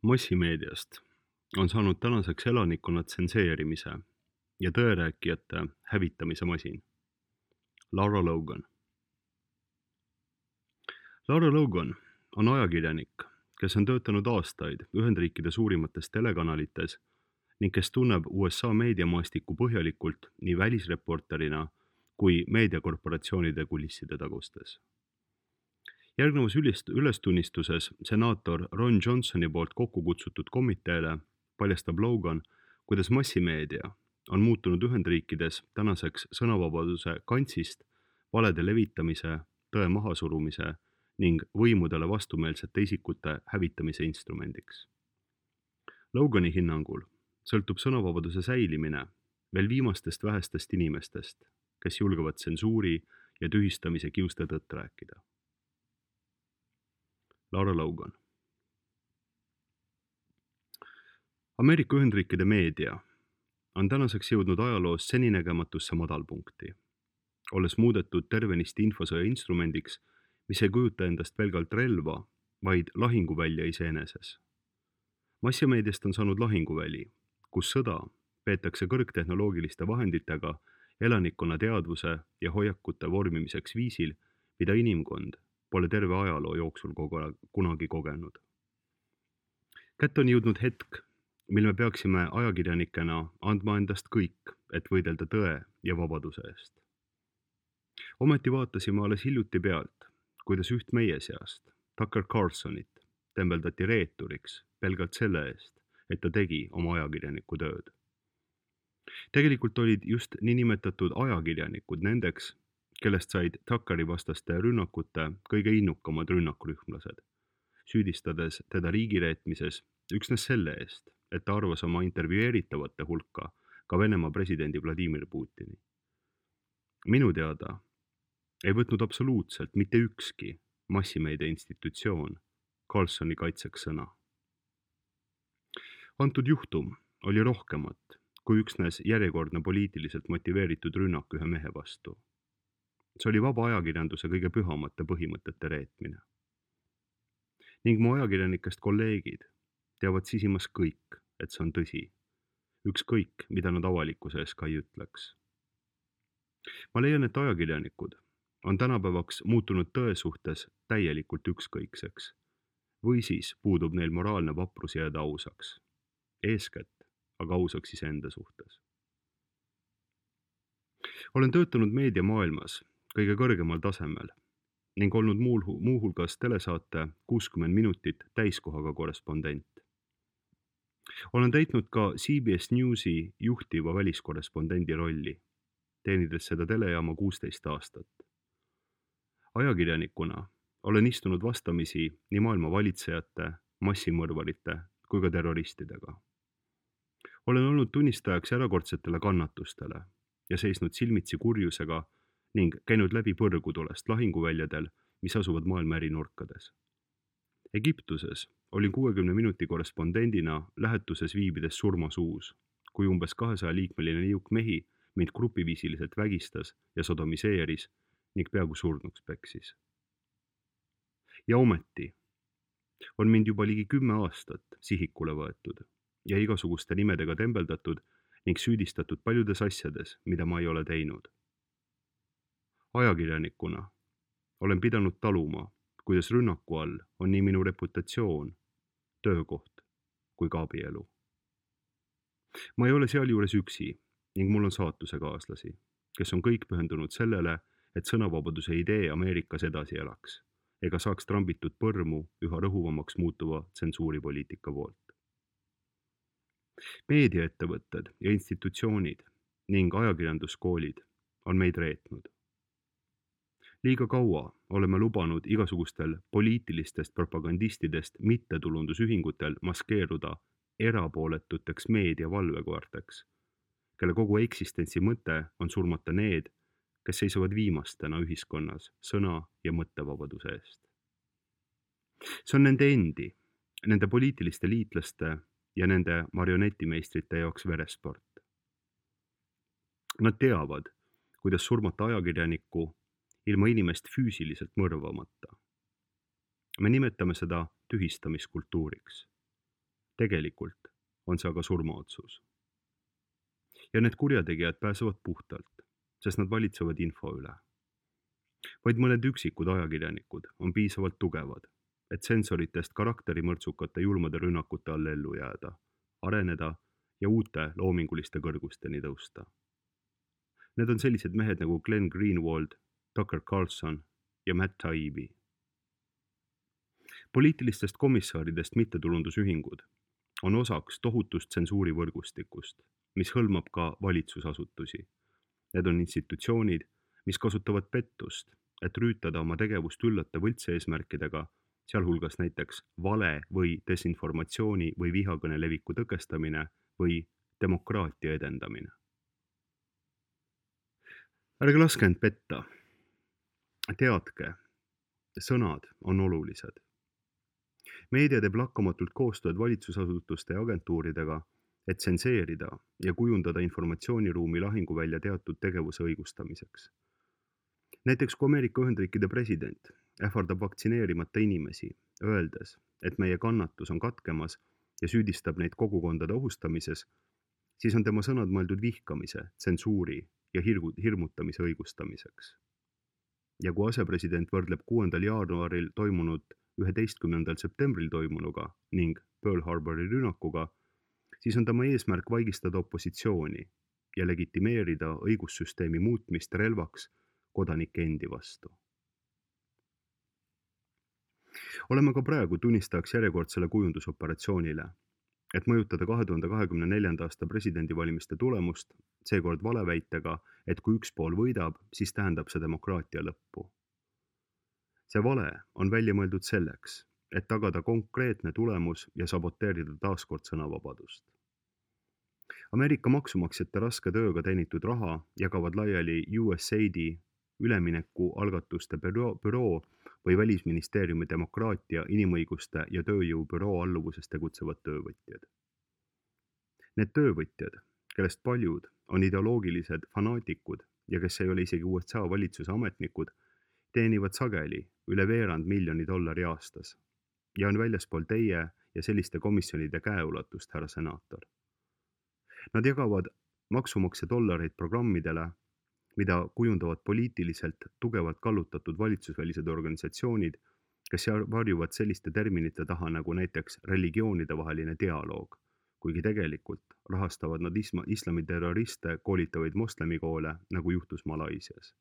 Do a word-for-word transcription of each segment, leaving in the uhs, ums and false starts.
Massimeediast on saanud tänaseks elanikkonna tsenseerimise ja tõerääkijate hävitamise masin. Lara Logan. Lara Logan on ajakirjanik, kes on töötanud aastaid Ühendriikide suurimates telekanalites ning kes tunneb U S A meediamaastikku põhjalikult nii välisreporterina kui meediakorporatsioonide kulisside tagustes. Järgnevas ülist- ülestunnistuses senaator Ron Johnsoni poolt kokku kutsutud komiteele paljastab Logan, kuidas massimeedia on muutunud Ühendriikides tänaseks sõnavabaduse kantsist valede levitamise, tõe mahasurumise ning võimudele vastumeelsete isikute hävitamise instrumendiks. Logani hinnangul sõltub sõnavabaduse säilimine veel viimastest vähestest inimestest, kes julgevad tsensuuri ja tühistamise kiuste tõtt rääkida. Lara Logan. Ameerika Ühendriikide meedia on tänaseks jõudnud ajaloos seninägematusse madalpunkti, olles muudetud tervenisti infosõja instrumendiks, mis ei kujuta endast pelgalt relva, vaid lahinguvälja iseeneses. Massimeediast on saanud lahinguväli, kus sõda peetakse kõrgtehnoloogiliste vahenditega elanikkonna teadvuse ja hoiakute vormimiseks viisil, mida inimkond pole terve ajaloo jooksul kunagi kogenud. Kätte on jõudnud hetk, mil me peaksime ajakirjanikena andma endast kõik, et võidelda tõe ja vabaduse eest. Ometi vaatasime alles hiljuti pealt, kuidas üht meie seast, Tucker Carlsonit, tembeldati reeturiks pelgalt selle eest, et ta tegi oma ajakirjaniku tööd. Tegelikult olid just niinimetatud ajakirjanikud nendeks, kellest said Tuckeri vastaste rünnakute kõige innukamad rünnakrühmlased, süüdistades teda riigireetmises üksnes selle eest, et ta arvas oma intervjueeritavate hulka ka Venemaa presidendi Vladimir Putini. Minu teada ei võtnud absoluutselt mitte ükski massimeedia institutsioon Carlsoni kaitseks sõna. Antud juhtum oli rohkemat kui üksnes järjekordne poliitiliselt motiveeritud rünnak ühe mehe vastu. See oli vaba ajakirjanduse kõige pühamate põhimõtete reetmine. Ning mu ajakirjanikest kolleegid teavad sisimas kõik, et see on tõsi. Ükskõik, mida nad avalikkuse ees ka ei ütleks. Ma leian, et ajakirjanikud on tänapäevaks muutunud tõe suhtes täielikult ükskõikseks või siis puudub neil moraalne vaprus jääda ausaks. Eeskätt aga ausaks iseenda suhtes. Olen töötanud meediamaailmas kõige kõrgemal tasemel ning olnud muuhulgas telesaate kuuskümmend minutit täiskohaga korrespondent. Olen täitnud ka C B S Newsi juhtiva väliskorrespondendi rolli, teenides seda telejaama kuusteist aastat. Ajakirjanikuna olen istunud vastamisi nii maailma valitsejate, massimõrvarite kui ka terroristidega. Olen olnud tunnistajaks erakordsetele kannatustele ja seisnud silmitsi kurjusega ning käinud läbi põrgutulest lahinguväljadel, mis asuvad maailma eri nurkades. Egiptuses olin kuuekümne minuti korrespondendina lähetuses viibides surmasuus, kui umbes kahesaja liikmeline niuk mehi mind grupiviisiliselt vägistas ja sodomiseeris ning peaaegu surnuks peksis. Ja ometi on mind juba ligi kümme aastat sihikule võetud ja igasuguste nimedega tembeldatud ning süüdistatud paljudes asjades, mida ma ei ole teinud. Ajakirjanikuna olen pidanud taluma, kuidas rünnaku all on nii minu reputatsioon, töökoht kui ka abielu. Ma ei ole sealjuures üksi ning mul on saatusekaaslasi, kes on kõik pühendunud sellele, et sõnavabaduse idee Ameerikas edasi elaks ega saaks trambitud põrmu üha rõhuvamaks muutuva tsensuuripoliitika poolt. Meediaettevõtted ja institutsioonid ning ajakirjanduskoolid on meid reetnud. Liiga kaua oleme lubanud igasugustel poliitilistest propagandistidest mittetulundusühingutel maskeeruda erapooletuteks meediavalvekoerteks, kelle kogu eksistentsi mõte on surmata need, kes seisavad viimastena ühiskonnas sõna- ja mõttevabaduse eest. See on nende endi, nende poliitiliste liitlaste ja nende marionettimeistrite jaoks veresport. Nad teavad, kuidas surmata ajakirjanikku ilma inimest füüsiliselt mõrvamata. Me nimetame seda tühistamiskultuuriks. Tegelikult on see aga surmaotsus. Ja need kurjategijad pääsevad puhtalt, sest nad valitsevad info üle. Vaid mõned üksikud ajakirjanikud on piisavalt tugevad, et sensoritest karakterimõrtsukate julmade rünnakute all ellu jääda, areneda ja uute loominguliste kõrgusteni tõusta. Need on sellised mehed nagu Glenn Greenwald, Tucker Carlson ja Matt Taibbi. Poliitilistest komissaaridest mittetulundusühingud on osaks tohutust tsensuurivõrgustikust, mis hõlmab ka valitsusasutusi. Need on institutsioonid, mis kasutavad pettust, et rüütada oma tegevust üllate võltseesmärkidega, sealhulgas näiteks vale või desinformatsiooni või vihakõne leviku tõkestamine või demokraatia edendamine. Ärge laske end petta. Teadke, sõnad on olulised. Meedia teeb lakkamatult koostööd valitsusasutuste ja agentuuridega, et tsenseerida ja kujundada informatsiooniruumi lahinguvälja teatud tegevuse õigustamiseks. Näiteks kui Ameerika Ühendriikide president ähvardab vaktsineerimata inimesi, öeldes, et meie kannatus on katkemas ja süüdistab neid kogukondade ohustamises, siis on tema sõnad mõeldud vihkamise, tsensuuri ja hirgu, hirmutamise õigustamiseks. Ja kui asepresident võrdleb kuuendal jaanuaril toimunud üheteistkümnendal septembril toimunuga ning Pearl Harbori rünnakuga, siis on tema eesmärk vaigistada opositsiooni ja legitimeerida õigussüsteemi muutmist relvaks kodanike endi vastu. Oleme ka praegu tunnistajaks järjekordsele kujundusoperatsioonile, et mõjutada kahe tuhande kahekümne neljanda aasta presidendivalimiste tulemust, seekord valeväitega, et kui üks pool võidab, siis tähendab see demokraatia lõppu. See vale on välja mõeldud selleks, et tagada konkreetne tulemus ja saboteerida taaskord sõnavabadust. Ameerika maksumaksjate raske tööga teenitud raha jagavad laiali U S A I D ülemineku algatuste büroo või Välisministeeriumi demokraatia, inimõiguste ja tööjõu büroo alluvuses tegutsevad töövõtjad. Need töövõtjad, kellest paljud on ideoloogilised fanaatikud ja kes ei ole isegi U S A valitsuse ametnikud, teenivad sageli üle veerand miljoni dollari aastas ja on väljaspool teie ja selliste komisjonide käeulatust, härra senaator. Nad jagavad maksumaksja dollareid programmidele, mida kujundavad poliitiliselt tugevalt kallutatud valitsusvälised organisatsioonid, kes varjuvad selliste terminite taha nagu näiteks religioonide vaheline dialoog, kuigi tegelikult rahastavad nad isma, islamiterroriste koolitavaid moslemikoole, nagu juhtus Malaisias.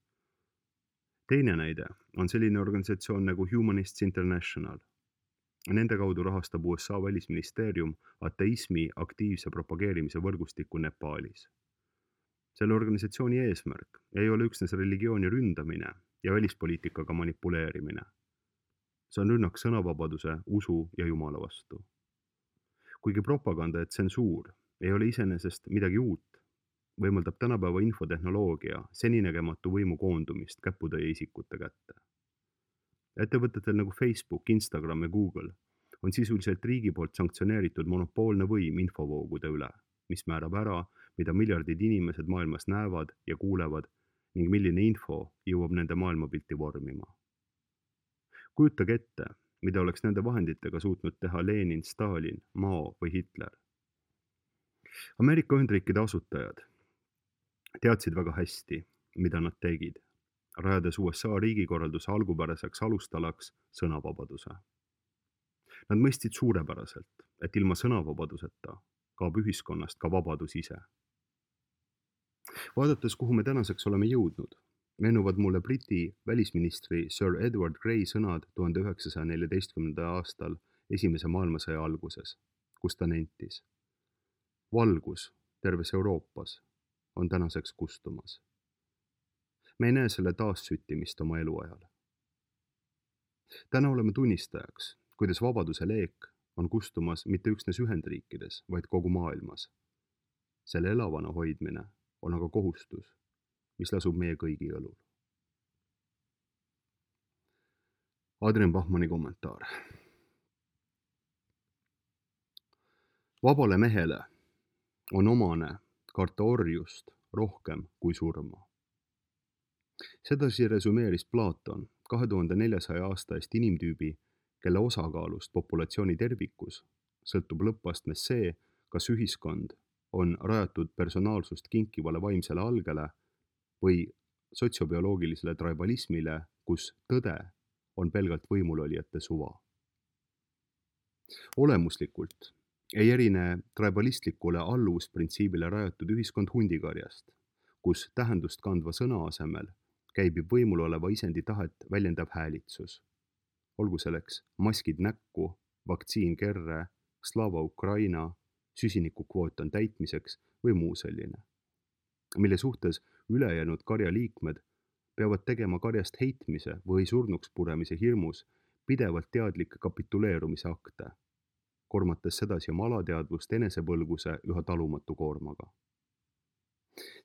Teine näide on selline organisatsioon nagu Humanists International. Nende kaudu rahastab U S A välisministeerium ateismi aktiivse propageerimise võrgustikku Nepaalis. Selle organisatsiooni eesmärk ei ole üksnes religiooni ründamine ja välispoliitikaga manipuleerimine. See on rünnak sõnavabaduse, usu ja Jumala vastu. Kuigi propaganda ja tsensuur ei ole iseenesest midagi uut, võimaldab tänapäeva infotehnoloogia seninägematu võimu koondumist käputäie isikute kätte. Ettevõtetel nagu Facebook, Instagram ja Google on sisuliselt riigi poolt sanktsioneeritud monopoolne võim infovoogude üle, mis määrab ära, mida miljardid inimesed maailmas näevad ja kuulevad ning milline info jõuab nende maailmapilti vormima. Kujutage ette, mida oleks nende vahenditega suutnud teha Lenin, Stalin, Mao või Hitler. Ameerika Ühendriikide asutajad teadsid väga hästi, mida nad tegid, rajades U S A riigikorralduse algupäraseks alustalaks sõnavabaduse. Nad mõistsid suurepäraselt, et ilma sõnavabaduseta kaob ühiskonnast ka vabadus ise. Vaadates, kuhu me tänaseks oleme jõudnud, meenuvad mulle Briti välisministri Sir Edward Grey sõnad tuhande üheksasaja neljateistkümnendal aastal esimese maailmasõja alguses, kus ta nentis. Valgus terves Euroopas on tänaseks kustumas. Me ei näe selle taassüttimist oma eluajal. Täna oleme tunnistajaks, kuidas vabaduse leek on kustumas mitte üksnes Ühendriikides, vaid kogu maailmas. Selle elavana hoidmine on aga kohustus, mis lasub meie kõigi õlul. Adrian Bachmanni kommentaar. Vabale mehele on omane karta orjust rohkem kui surma. Sedasi resümeeris Platon kahe tuhande neljasaja aasta eest inimtüübi, kelle osakaalust populatsiooni tervikus sõltub lõppastmes see, kas ühiskond on rajatud personaalsust kinkivale vaimsele algele või sotsiobioloogilisele tribalismile, kus tõde on pelgalt võimulolijate suva. Olemuslikult ei erine tribalistlikule alluvusprintsiibile rajatud ühiskond hundikarjast, kus tähendust kandva sõna asemel käibib võimul oleva isendi tahet väljendav häälitsus. Olgu selleks maskid näkku, vaktsiin kerre, Slava Ukraina, süsinikukvoot on täitmiseks või muu selline, mille suhtes ülejäänud karja liikmed peavad tegema karjast heitmise või surnuks puremise hirmus pidevalt teadlikke kapituleerumise akte, kormates sedasi oma alateadvust enesepõlguse üha talumatu koormaga.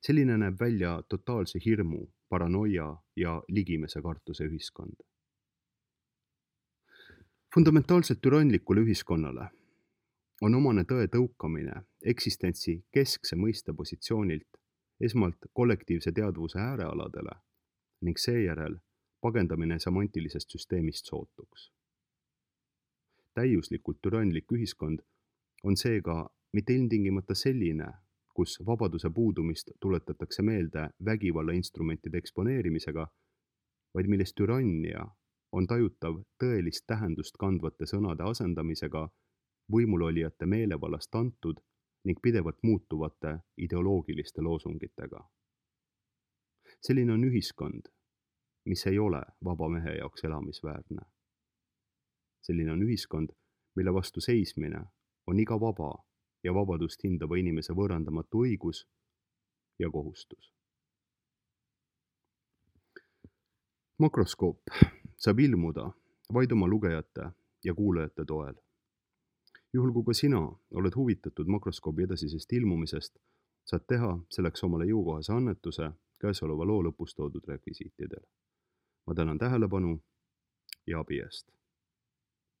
Selline näeb välja totaalse hirmu, paranoia ja ligimese kartuse ühiskond. Fundamentaalselt türanlikule ühiskonnale on omane tõe tõukamine eksistentsi keskse mõiste positsioonilt esmalt kollektiivse teadvuse äärealadele ning seejärel pagendamine semantilisest süsteemist sootuks. Täiuslikult türanlik ühiskond on seega mitte ilmtingimata selline, kus vabaduse puudumist tuletatakse meelde vägivalla instrumentide eksponeerimisega, vaid milles türannia on tajutav tõelist tähendust kandvate sõnade asendamisega võimulolijate meelevallast antud ning pidevalt muutuvate ideoloogiliste loosungitega. Selline on ühiskond, mis ei ole vaba mehe jaoks elamisväärne. Selline on ühiskond, mille vastu seismine on iga vaba ja vabadust hindava inimese võõrandamatu õigus ja kohustus. Makroskoop saab ilmuda vaid oma lugejate ja kuulajate toel. Juhul kui ka sina oled huvitatud makroskoobi edasisest ilmumisest, saad teha selleks omale jõukohase annetuse käesoleva loo lõpus toodud rekvisiitidel. Ma tänan tähelepanu ja abi eest.